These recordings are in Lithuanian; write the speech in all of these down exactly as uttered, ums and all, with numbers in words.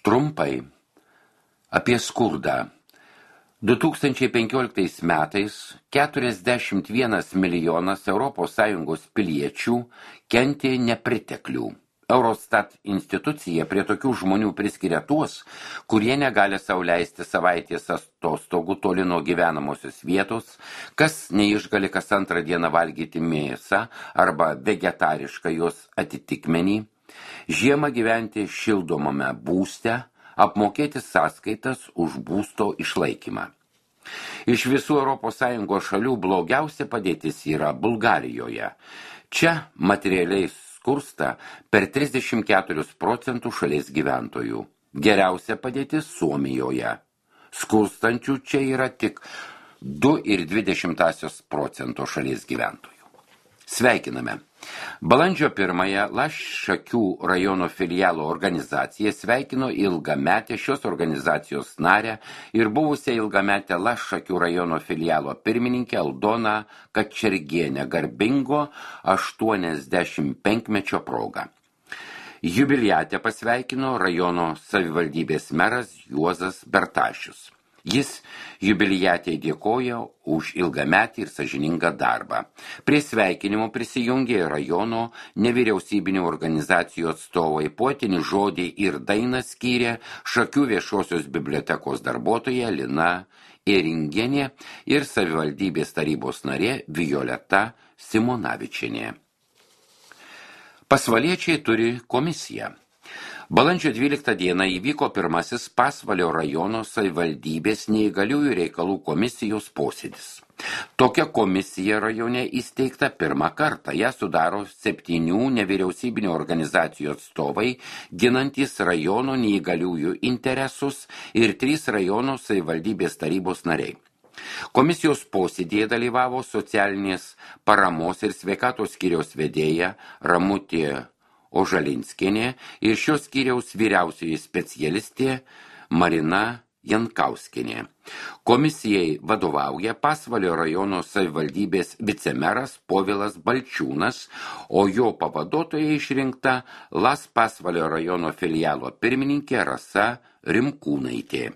Trumpai apie skurdą. du tūkstančiai penkioliktais metais keturiasdešimt vienas milijonas Europos Sąjungos piliečių kentė nepriteklių. Eurostat institucija prie tokių žmonių priskiria tuos, kurie negali sau leisti savaitės atostogų toli nuo gyvenamosios vietos, kas neišgali kas antrą dieną valgyti mėsą arba vegetarišką jos atitikmenį, žiemą gyventi šildomame būste, apmokėti sąskaitas už būsto išlaikymą. Iš visų Europos Sąjungos šalių blogiausia padėtis yra Bulgarijoje. Čia materialiai skursta per trisdešimt keturis procentus šalies gyventojų. Geriausia padėtis Suomijoje. Skurstančių čia yra tik du ir dvidešimt procento šalies gyventojų. Sveikiname. Balandžio pirmąją Laššakių rajono filialo organizacija sveikino ilgametę šios organizacijos narę ir buvusią ilgametę Laššakių rajono filialo pirmininkę Aldoną Kačergienę garbingo aštuoniasdešimt penkmečio proga. Jubiliatę pasveikino rajono savivaldybės meras Juozas Bertašius. Jis jubiliatei dėkojo už ilgametį ir sąžiningą darbą. Prie sveikinimo prisijungė rajono nevyriausybinių organizacijų atstovai, poetinį žodį ir dainą skyrė Šakių viešosios bibliotekos darbuotoja Lina Ėringienė ir savivaldybės tarybos narė Violeta Simonavičienė. Pasvaliečiai turi komisiją. Balandžio dvyliktą dieną įvyko pirmasis Pasvalio rajono savivaldybės neįgaliųjų reikalų komisijos posėdis. Tokia komisija rajone įsteigta pirmą kartą. Ją sudaro septynių nevyriausybinių organizacijų atstovai, ginantys rajono neįgaliųjų interesus ir trys rajono savivaldybės tarybos nariai. Komisijos posėdėje dalyvavo socialinės paramos ir sveikatos skyriaus vedėja Ramutė Ožalinskienė ir šios skyriaus vyriausioji specialistė Marina Jankauskienė. Komisijai vadovauja Pasvalio rajono savivaldybės vicemeras Povilas Balčiūnas, o jo pavaduotoja išrinkta Las Pasvalio rajono filialo pirmininkė Rasa Rimkūnaitė.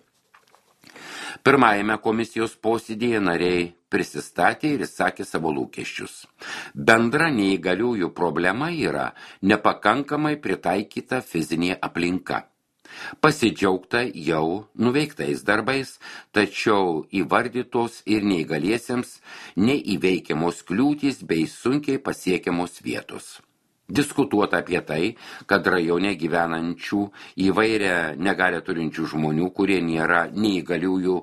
Pirmajame komisijos posėdėje nariai prisistatė ir išsakė savo lūkesčius. Bendra neįgaliųjų problema yra nepakankamai pritaikyta fizinė aplinka. Pasidžiaugta jau nuveiktais darbais, tačiau įvardytos ir neįgaliesiems neįveikiamos kliūtys bei sunkiai pasiekiamos vietos. Diskutuota apie tai, kad rajone gyvenančių įvairią negalią turinčių žmonių, kurie nėra neįgaliųjų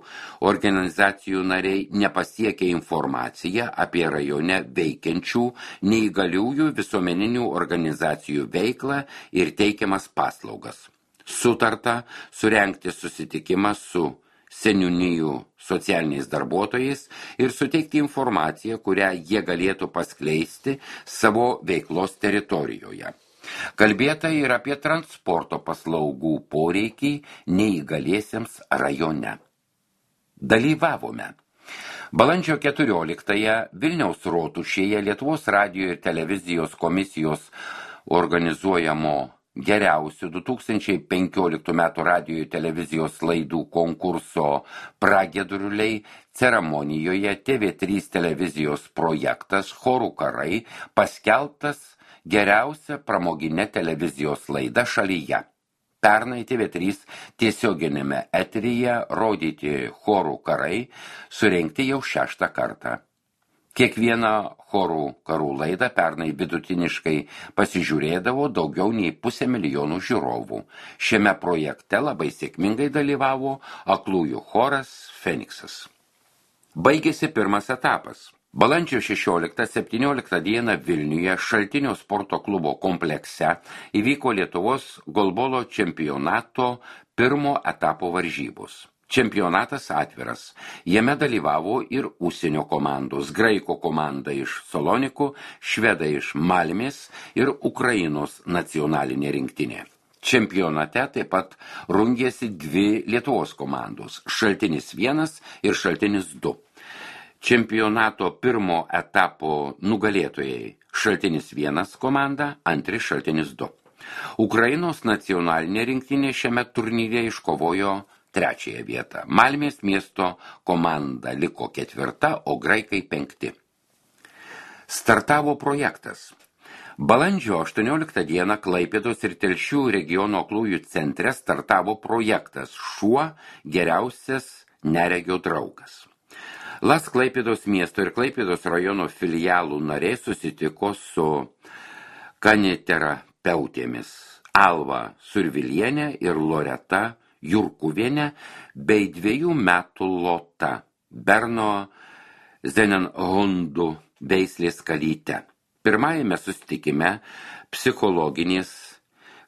organizacijų nariai, nepasiekia informaciją apie rajone veikiančių neįgaliųjų visuomeninių organizacijų veiklą ir teikiamas paslaugas. Sutarta surengti susitikimą su seniūnijų socialiniais darbuotojais ir suteikti informaciją, kurią jie galėtų paskleisti savo veiklos teritorijoje. Kalbėta ir apie transporto paslaugų poreikį neįgaliesiems rajone. Dalyvavome. Balandžio keturioliktąją Vilniaus rotušėje Lietuvos radijo ir televizijos komisijos organizuojamo geriausių du tūkstančiai penkioliktų metų radijo ir televizijos laidų konkurso Pragiedruliai ceremonijoje T V trys televizijos projektas Chorų karai paskelbtas geriausia pramoginė televizijos laida šalyje. Pernai T V trys tiesioginėme eteryje rodyti Chorų karai surengti jau šeštą kartą. Kiekvieną chorų karų laidą pernai vidutiniškai pasižiūrėdavo daugiau nei pusę milijonų žiūrovų. Šiame projekte labai sėkmingai dalyvavo aklųjų choras Feniksas. Baigėsi pirmas etapas. Balandžio šešioliktą septynioliktą dieną Vilniuje Šaltinio sporto klubo komplekse įvyko Lietuvos golbolo čempionato pirmo etapo varžybos. Čempionatas atviras. Jame dalyvavo ir užsienio komandos, graiko komanda iš Salonikų, švedai iš Malmės ir Ukrainos nacionalinė rinktinė. Čempionate taip pat rungėsi dvi Lietuvos komandos, Šaltinis vienas ir Šaltinis du. Čempionato pirmo etapo nugalėtojai Šaltinis vienas komanda, antri Šaltinis du. Ukrainos nacionalinė rinktinė šiame turnyre iškovojo trečiąją vietą. Malmės miesto komanda liko ketvirta, o graikai penkti. Startavo projektas. Balandžio aštuonioliktą dieną Klaipėdos ir Telšių regiono aklųjų centre startavo projektas Šuo geriausias neregio draugas. Las Klaipėdos miesto ir Klaipėdos rajono filialų nariai susitiko su kaniterapeutėmis Alva Survilienė ir Loreta Jurkuvienė bei dviejų metų Lota Berno Zenenhundų veislės kalyte. Pirmajame susitikime psichologinės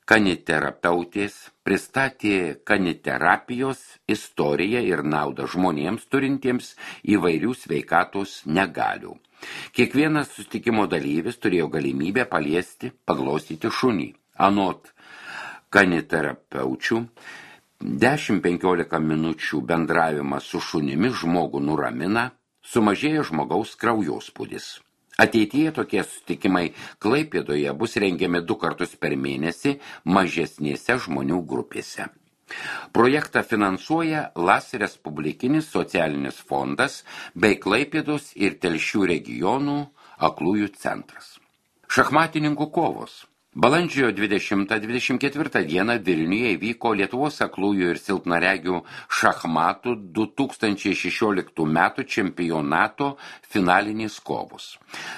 kaniterapeutės pristatė kaniterapijos istoriją ir naudą žmonėms turintiems įvairių sveikatos negalių. Kiekvienas susitikimo dalyvis turėjo galimybę paliesti, paglostyti šunį. Anot kaniterapeučių, dešimt penkiolika minučių bendravimas su šunimi žmogų nuramina, sumažėja žmogaus kraujospūdis. Ateityje tokie susitikimai Klaipėdoje bus rengiami du kartus per mėnesį mažesnėse žmonių grupėse. Projektą finansuoja Las Respublikinis socialinis fondas bei Klaipėdos ir Telšių regionų aklųjų centras. Šachmatininkų kovos. Balandžio dvidešimtą dvidešimt ketvirtą dieną Vilniuje įvyko Lietuvos aklųjų ir silpnaregių šachmatų du tūkstančiai šešioliktų metų čempionato finalinės kovos.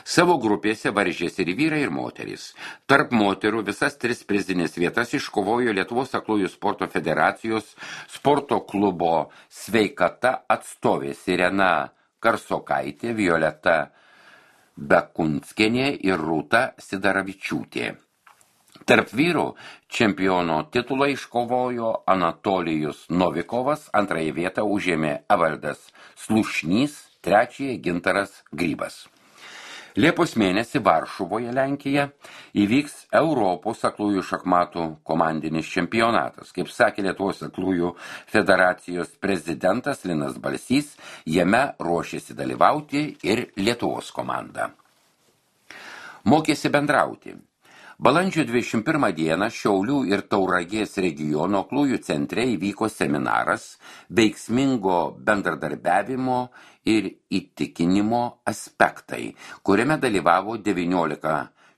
Savo grupėse varžėsi ir vyrai, ir moterys. Tarp moterų visas tris prizinės vietas iškovojo Lietuvos aklųjų sporto federacijos sporto klubo Sveikata atstovės Irena Karsokaitė, Violeta Bekunskienė ir Rūta Sidaravičiūtė. Tarp vyrų čempiono titulą iškovojo Anatolijus Novikovas, antrąją vietą užėmė Evaldas Slušnys, trečiąją Gintaras Grybas. Liepos mėnesį Varšuvoje, Lenkija, įvyks Europos aklųjų šachmatų komandinis čempionatas. Kaip sakė Lietuvos aklųjų federacijos prezidentas Linas Balsys, jame ruošėsi dalyvauti ir Lietuvos komanda. Mokėsi bendrauti. Balandžio dvidešimt pirmą dieną Šiaulių ir Tauragės regiono aklųjų centre įvyko seminaras veiksmingo bendradarbiavimo ir įtikinimo aspektai, kuriame dalyvavo devyniolika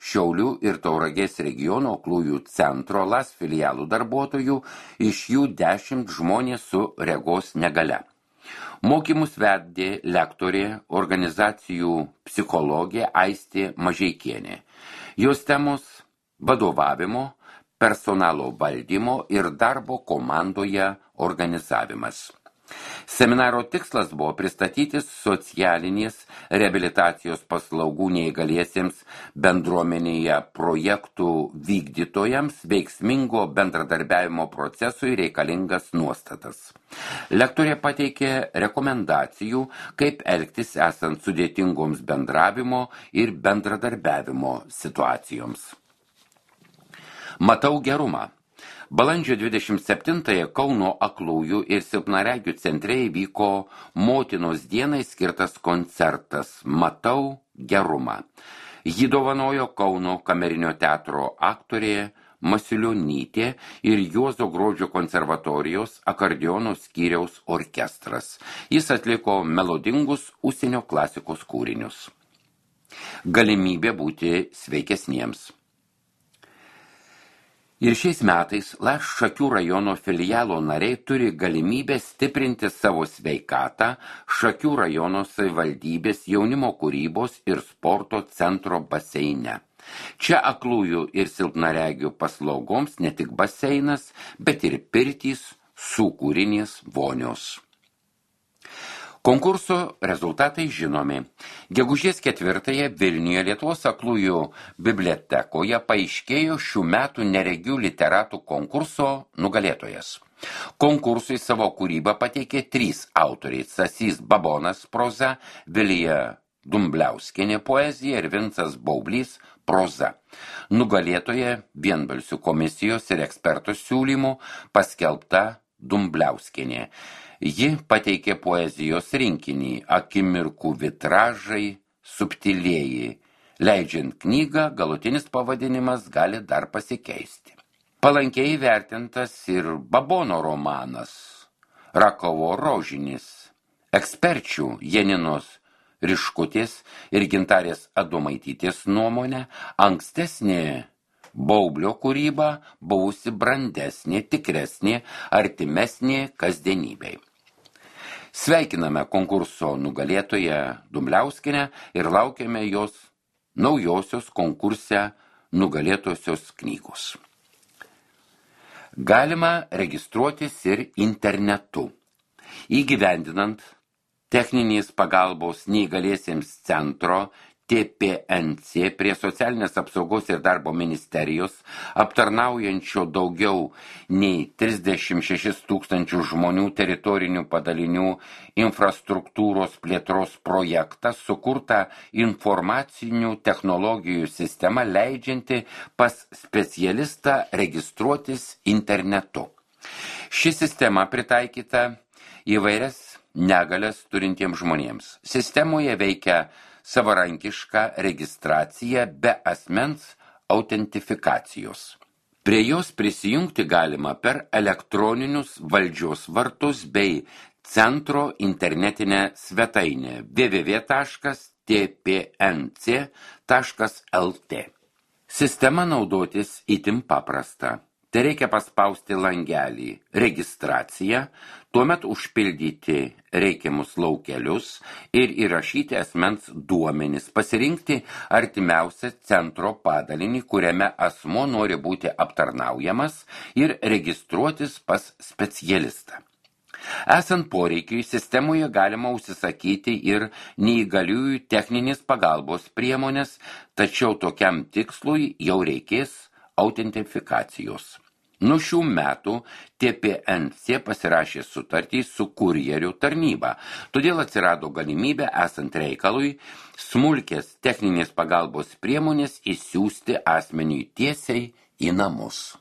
Šiaulių ir Tauragės regiono aklųjų centro Las filialų darbuotojų, iš jų dešimt žmonės su regos negalia. Mokymus vedė lektorė, organizacijų psichologė Aistė Mažeikienė. Jos temos vadovavimo, personalo valdymo ir darbo komandoje organizavimas. Seminaro tikslas buvo pristatyti socialinės reabilitacijos paslaugų neįgaliesiems bendruomenėje projektų vykdytojams veiksmingo bendradarbiavimo procesui reikalingas nuostatas. Lektorė pateikė rekomendacijų, kaip elgtis esant sudėtingoms bendravimo ir bendradarbiavimo situacijoms. Matau gerumą. Balandžio dvidešimt septintąją Kauno aklųjų ir silpnaregių centre įvyko motinos dienai skirtas koncertas Matau gerumą. Jį dovanojo Kauno kamerinio teatro aktorė Masiulionytė ir Juozo Grožio konservatorijos akordeono skyriaus orkestras. Jis atliko melodingus užsienio klasikos kūrinius. Galimybė būti sveikesniems. Ir šiais metais Las Šakių rajono filialo nariai turi galimybę stiprinti savo sveikatą Šakių rajono savivaldybės jaunimo kūrybos ir sporto centro baseine. Čia aklųjų ir silpnaregių paslaugoms ne tik baseinas, bet ir pirtys, sūkurinės vonios. Konkurso rezultatai žinomi. Gegužės ketvirtąją Vilniuje Lietuvos aklųjų bibliotekoje paaiškėjo šių metų neregių literatų konkurso nugalėtojas. Konkursui savo kūrybą pateikė trys autoriai: Stasys Babonas proza, Vilija Dumbliauskienė poezija ir Vincas Baublys proza. Nugalėtoja vienbalsių komisijos ir ekspertų siūlymų paskelbta Dumbliauskienė. Ji pateikė poezijos rinkinį Akimirkų vitražai subtilieji, Leidžiant knygą, galutinis pavadinimas gali dar pasikeisti. Palankiai vertintas ir Babono romanas Rakovo rožinis. Eksperčių Janinos Riškutės ir Gintarės Adomaitytės nuomonė, ankstesnė Baublio kūryba buvusi brandesnė, tikresnė, artimesnė kasdienybei. Sveikiname konkurso nugalėtoją Dumbliauskienę ir laukiame jos naujosios konkurse nugalėtosios knygos. Galima registruotis ir internetu. Įgyvendinant techninės pagalbos neįgaliesiems centro T P N C prie Socialinės apsaugos ir darbo ministerijos, aptarnaujančio daugiau nei trisdešimt šešis tūkstančius žmonių teritorinių padalinių infrastruktūros plėtros projektą, sukurta informacinių technologijų sistema leidžianti pas specialistą registruotis internetu. Ši sistema pritaikyta įvairias negalias turintiems žmonėms. Sistemoje veikia savarankiška registracija be asmens autentifikacijos. Prie jos prisijungti galima per elektroninius valdžios vartus bei centro internetinę svetainę w w w taškas t p n c taškas l t. Sistema naudotis itin paprasta. Tai reikia paspausti langelį registraciją, tuomet užpildyti reikiamus laukelius ir įrašyti asmens duomenis, pasirinkti artimiausią centro padalinį, kuriame asmuo nori būti aptarnaujamas ir registruotis pas specialistą. Esant poreikiui, sistemoje galima užsisakyti ir neįgaliųjų techninės pagalbos priemonės, tačiau tokiam tikslui jau reikės autentifikacijos. Nuo šių metų T P N C pasirašė sutartį su kurjerių tarnyba, todėl atsirado galimybė esant reikalui smulkės techninės pagalbos priemonės išsiųsti asmeniui tiesiai į namus.